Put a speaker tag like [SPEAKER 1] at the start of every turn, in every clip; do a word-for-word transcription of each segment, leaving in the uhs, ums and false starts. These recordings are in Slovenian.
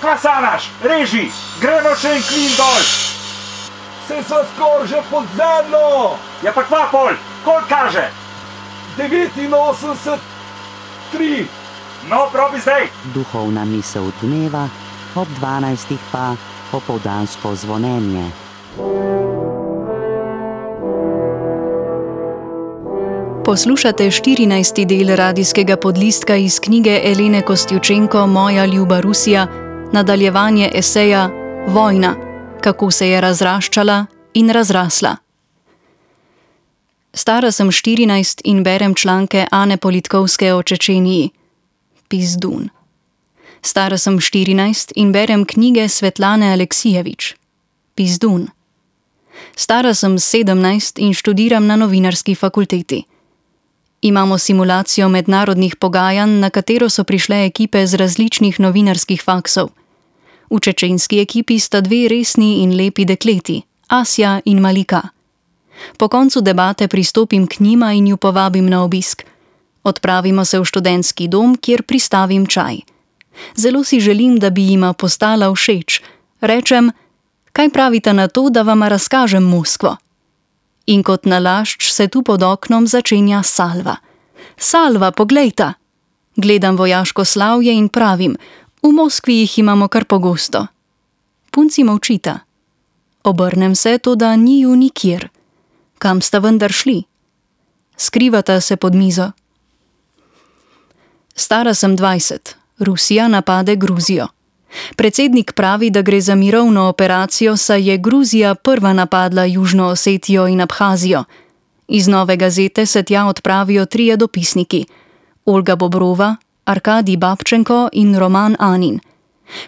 [SPEAKER 1] Kaj sanaš? Reži, gremo še en klin dol.
[SPEAKER 2] Se sva skor že pod zemljo.
[SPEAKER 1] Ja pa kva pol, koliko kaže?
[SPEAKER 2] devetinosemdeset tri.
[SPEAKER 1] No, probi zdaj.
[SPEAKER 3] Duhovna misel dneva, ob dvanajstih pa opoldansko zvonjenje.
[SPEAKER 4] Poslušate štirinajsti del radijskega podlistka iz knjige Elene Kostjučenko Moja ljuba Rusija, nadaljevanje eseja Vojna, kako se je razraščala in razrasla. Stara sem štirinajst in berem članke Ane Politkovske o Čečeniji. Pizdun. Stara sem štirinajst in berem knjige Svetlane Aleksijevič. Pizdun. Stara sem sedemnajst in študiram na novinarski fakulteti. Imamo simulacijo mednarodnih pogajanj, na katero so prišle ekipe z različnih novinarskih faksov. V čečenski ekipi sta dve resni in lepi dekleti, Asja in Malika. Po koncu debate pristopim k njima in ju povabim na obisk. Odpravimo se v študentski dom, kjer pristavim čaj. Zelo si želim, da bi jima postala všeč. Rečem, kaj pravite na to, da vama razkažem Moskvo? In kot nalašč se tu pod oknom začenja salva. Salva, poglejta! Gledam vojaško slavje in pravim, v Moskvi jih imamo kar pogosto. Punci molčita. Obrnem se, toda ni ju nikjer. Kam sta vendar šli? Skrivata se pod mizo. Stara sem dvajset. Rusija napade Gruzijo. Predsednik pravi, da gre za mirovno operacijo, saj je Gruzija prva napadla Južno Osetijo in Abhazijo. Iz Nove gazete se tja odpravijo trije dopisniki. Olga Bobrova, Arkadij Babčenko in Roman Anin.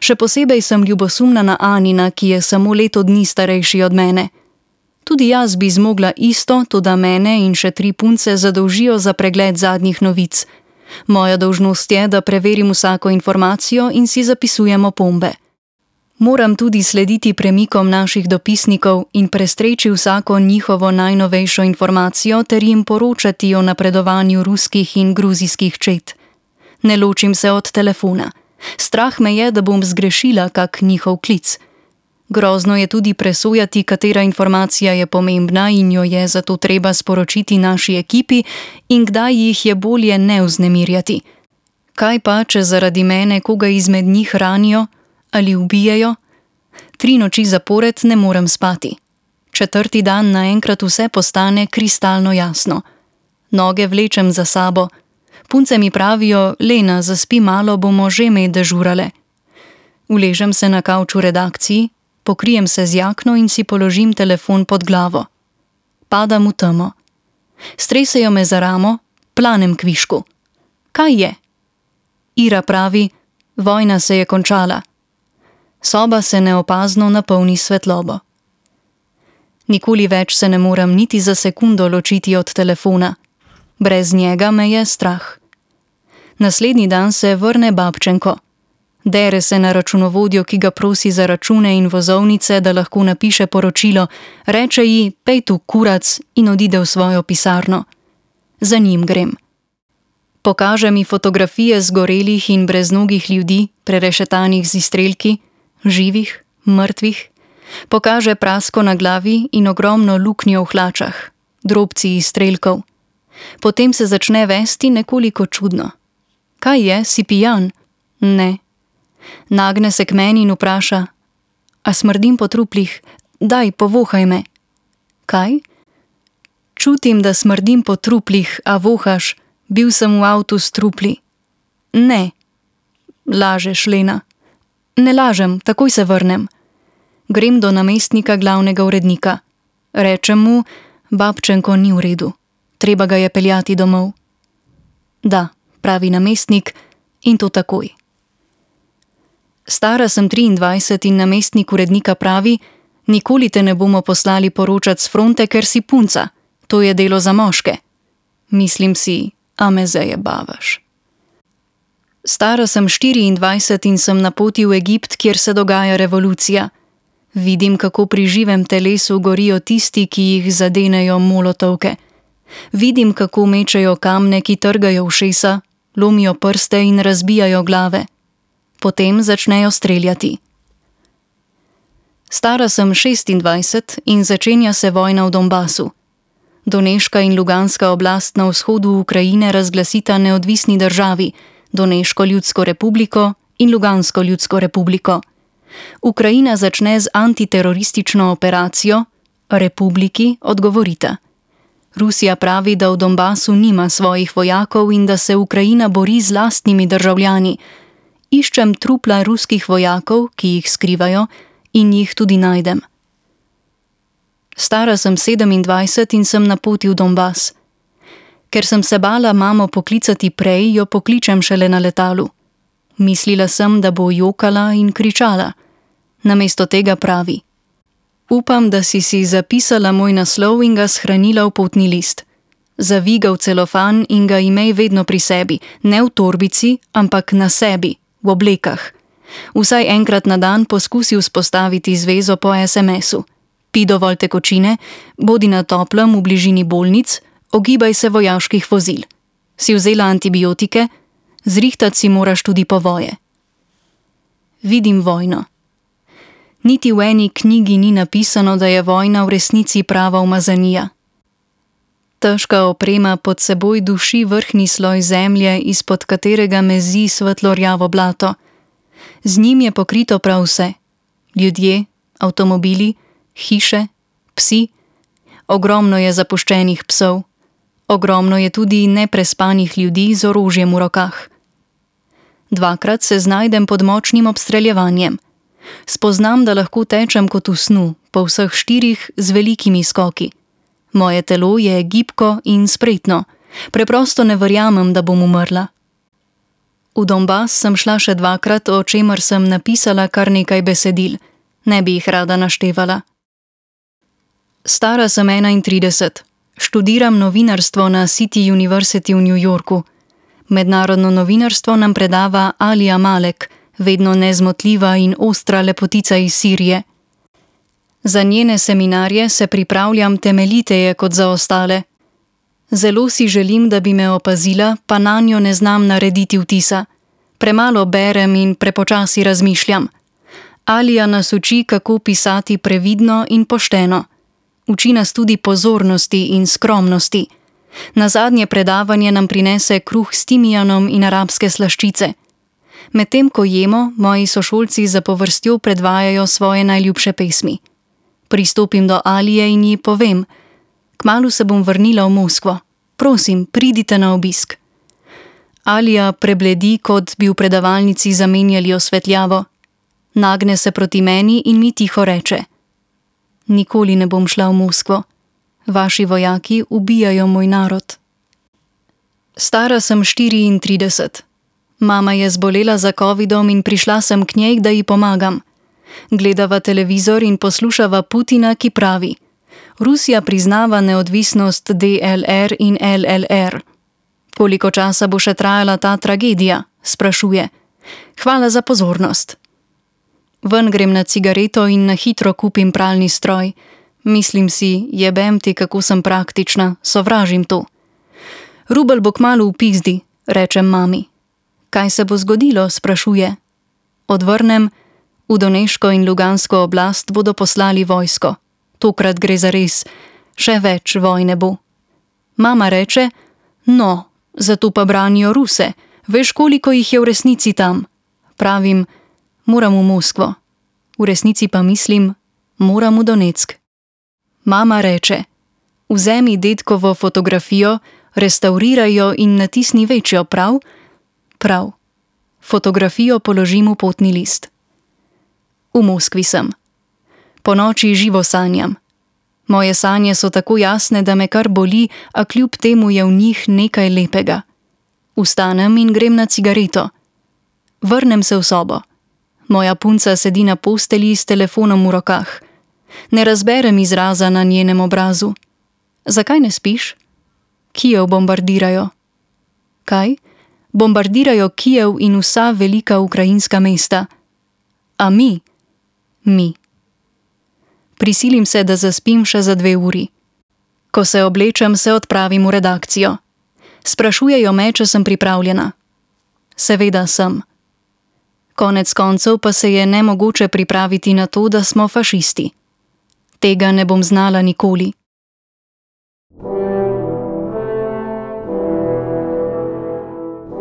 [SPEAKER 4] Še posebej sem ljubosumna na Anina, ki je samo leto dni starejši od mene. Tudi jaz bi zmogla isto, toda mene in še tri punce zadolžijo za pregled zadnjih novic. Moja dolžnost je, da preverim vsako informacijo in si zapisujem opombe. Moram tudi slediti premikom naših dopisnikov in prestreči vsako njihovo najnovejšo informacijo ter jim poročati o napredovanju ruskih in gruzijskih čet. Ne ločim se od telefona. Strah me je, da bom zgrešila kak njihov klic. Grozno je tudi presojati, katera informacija je pomembna in jo je zato treba sporočiti naši ekipi in kdaj jih je bolje ne vznemirjati. Kaj pa, če zaradi mene koga izmed njih ranijo ali ubijejo? Tri noči zapored ne morem spati. Četrti dan naenkrat vse postane kristalno jasno. Noge vlečem za sabo. Punce mi pravijo, Lena, zaspi malo, bomo že med dežurale. Uležem se na kavču redakciji, pokrijem se z jakno in si položim telefon pod glavo. Padam v temo. Stresejo me za ramo, planem kvišku. Kaj je? Ira pravi, vojna se je končala. Soba se neopazno napolni svetlobo. Nikoli več se ne moram niti za sekundo ločiti od telefona. Brez njega me je strah. Naslednji dan se vrne Babčenko. Dere se na računovodjo, ki ga prosi za račune in vozovnice, da lahko napiše poročilo, reče ji, pej tu kurac in odide v svojo pisarno. Za njim grem. Pokaže mi fotografije zgorelih in breznogih ljudi, prerešetanih z izstrelki, živih, mrtvih. Pokaže prasko na glavi in ogromno luknjo v hlačah, drobci izstrelkov. Potem se začne vesti nekoliko čudno. Kaj je, si pijan? Ne. Nagne se k meni in vpraša, a smrdim po truplih? Daj, povohaj me. Kaj? Čutim, da smrdim po truplih, a vohaš, bil sem v avtu s trupli. Ne. Lažeš, Lena. Ne lažem, takoj se vrnem. Grem do namestnika glavnega urednika. Rečem mu, Babčenko ni v redu. Treba ga je peljati domov. Da, pravi namestnik, in to takoj. Stara sem triindvajset in namestnik urednika pravi, nikoli te ne bomo poslali poročat s fronte, ker si punca. To je delo za moške. Mislim si, a me zajebavaš. Stara sem štiriindvajset in sem na poti v Egipt, kjer se dogaja revolucija. Vidim, kako pri živem telesu gorijo tisti, ki jih zadenejo molotovke. Vidim, kako mečejo kamne, ki trgajo ušesa, lomijo prste in razbijajo glave. potem začnejo streljati. Stara sem šestindvajset in začenja se vojna v Donbasu. Doneška in Luganska oblast na vzhodu Ukrajine razglasita neodvisni državi, Doneško ljudsko republiko in Lugansko ljudsko republiko. Ukrajina začne z antiteroristično operacijo, republiki odgovorita. Rusija pravi, da v Donbasu nima svojih vojakov in da se Ukrajina bori z lastnimi državljani. Iščem trupla ruskih vojakov, ki jih skrivajo, in jih tudi najdem. Stara sem sedemindvajset in sem na poti v Donbas. Ker sem se bala mamo poklicati prej, jo pokličem šele na letalu. Mislila sem, da bo jokala in kričala. Namesto tega pravi: upam, da si si zapisala moj naslov in ga shranila v potni list. Zavi ga v celofan in ga imej vedno pri sebi, ne v torbici, ampak na sebi, v oblekah. Vsaj enkrat na dan poskusi vzpostaviti zvezo po es em esu. Pi dovolj tekočine, bodi na toplem v bližini bolnic, ogibaj se vojaških vozil. Si vzela antibiotike? Zrihtati si moraš tudi povoje. Vidim vojno. Niti v eni knjigi ni napisano, da je vojna v resnici prava umazanija. Težka oprema pod seboj duši vrhnji sloj zemlje, izpod katerega mezi svetlo-rjavo blato. Z njim je pokrito prav vse. Ljudje, avtomobili, hiše, psi. Ogromno je zapuščenih psov. Ogromno je tudi neprespanih ljudi z orožjem v rokah. Dvakrat se znajdem pod močnim obstreljevanjem. Spoznam, da lahko tečem kot v snu, po vseh štirih z velikimi skoki. Moje telo je gibko in spretno. Preprosto ne verjamem, da bom umrla. V Donbas sem šla še dvakrat, o čemer sem napisala kar nekaj besedil. Ne bi jih rada naštevala. Stara sem enaintrideset. Študiram novinarstvo na City University v New Yorku. Mednarodno novinarstvo nam predava Alija Malek, vedno nezmotljiva in ostra lepotica iz Sirije. Za njene seminarje se pripravljam temeljiteje kot za ostale. Zelo si želim, da bi me opazila, pa nanjo ne znam narediti vtisa. Premalo berem in prepočasi razmišljam. Alija nas uči, kako pisati previdno in pošteno. Uči nas tudi pozornosti in skromnosti. Na zadnje predavanje nam prinese kruh s timijanom in arabske slaščice. Medtem ko jemo, moji sošolci za povrstjo predvajajo svoje najljubše pesmi. Pristopim do Alije in ji povem: kmalu se bom vrnila v Moskvo. Prosim, pridite na obisk. Alija prebledi, kot bi v predavalnici zamenjali osvetljavo. Nagne se proti meni in mi tiho reče: nikoli ne bom šla v Moskvo. Vaši vojaki ubijajo moj narod. Stara sem štiriintrideset. Mama je zbolela za covidom in prišla sem k njej, da ji pomagam. Gledava televizor in poslušava Putina, ki pravi: Rusija priznava neodvisnost de el er in el el er. Koliko časa bo še trajala ta tragedija? Sprašuje. Hvala za pozornost. Ven grem na cigareto in na hitro kupim pralni stroj. Mislim si, jebem ti, kako sem praktična, sovražim to. Rubel bo kmalu v pizdi, rečem mami. Kaj se bo zgodilo? Sprašuje. Odvrnem: v Doneško in Lugansko oblast bodo poslali vojsko. Tokrat gre za res. Še več vojne bo. Mama reče: no, zato pa branijo Ruse. Veš, koliko jih je v resnici tam? Pravim: moram v Moskvo. V resnici pa mislim: moram v Donetsk. Mama reče: vzemi dedkovo fotografijo, restavriraj jo in natisni večjo, prav? Prav. Fotografijo položim v potni list. V Moskvi sem. Po noči živo sanjam. Moje sanje so tako jasne, da me kar boli, a kljub temu je v njih nekaj lepega. Vstanem in grem na cigareto. Vrnem se v sobo. Moja punca sedi na postelji s telefonom v rokah. Ne razberem izraza na njenem obrazu. Zakaj ne spiš? Kijev bombardirajo. Kaj? Bombardirajo Kijev in vsa velika ukrajinska mesta. A mi? Mi. Prisilim se, da zaspim še za dve uri. Ko se oblečem, se odpravim v redakcijo. Sprašujejo me, če sem pripravljena. Seveda sem. Konec koncev pa se je nemogoče pripraviti na to, da smo fašisti. Tega ne bom znala nikoli.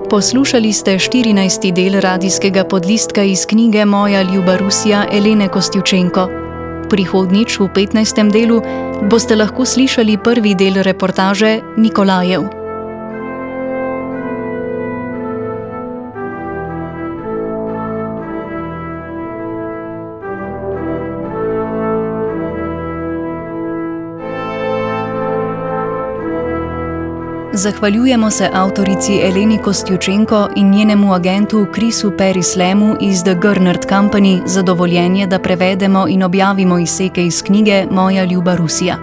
[SPEAKER 4] Poslušali ste štirinajsti del radijskega podlistka iz knjige Moja ljuba Rusija Elene Kostjučenko. Prihodnjič v petnajstem delu boste lahko slišali prvi del reportaže Nikolajev. Zahvaljujemo se avtorici Eleni Kostjučenko in njenemu agentu Chrisu Perislemu iz The Gernert Company za dovoljenje, da prevedemo in objavimo izseke iz knjige Moja ljuba Rusija.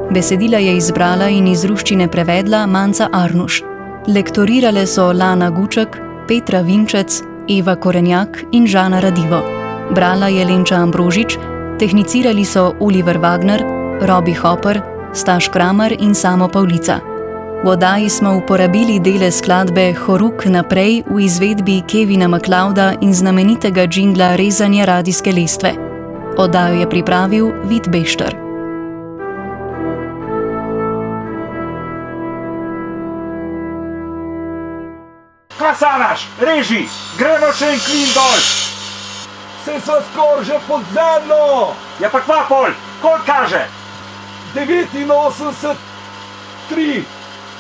[SPEAKER 4] Besedila je izbrala in iz ruščine prevedla Manca Arnuš. Lektorirale so Lana Guček, Petra Vinčec, Eva Korenjak in Žana Radivo. Brala je Lenča Ambrožič, tehnicirali so Oliver Wagner, Robi Hopper, Staš Kramer in Samo Pavlica. V oddaji smo uporabili dele skladbe Horuk naprej v izvedbi Kevina MacLeoda in znamenitega džingla Rezanja radijske lestve. Oddajo je pripravil Vid Bešter.
[SPEAKER 1] Kasanaš, reži, gremo še en klin dol.
[SPEAKER 2] Se sva skoraj že pod zemljo!
[SPEAKER 1] Ja pa kva pol, koliko kaže?
[SPEAKER 2] devetinosemdeset tri.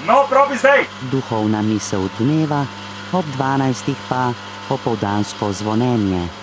[SPEAKER 1] No, probi zdaj.
[SPEAKER 3] Duhovna misel dneva, ob dvanajstih pa opoldansko zvonjenje.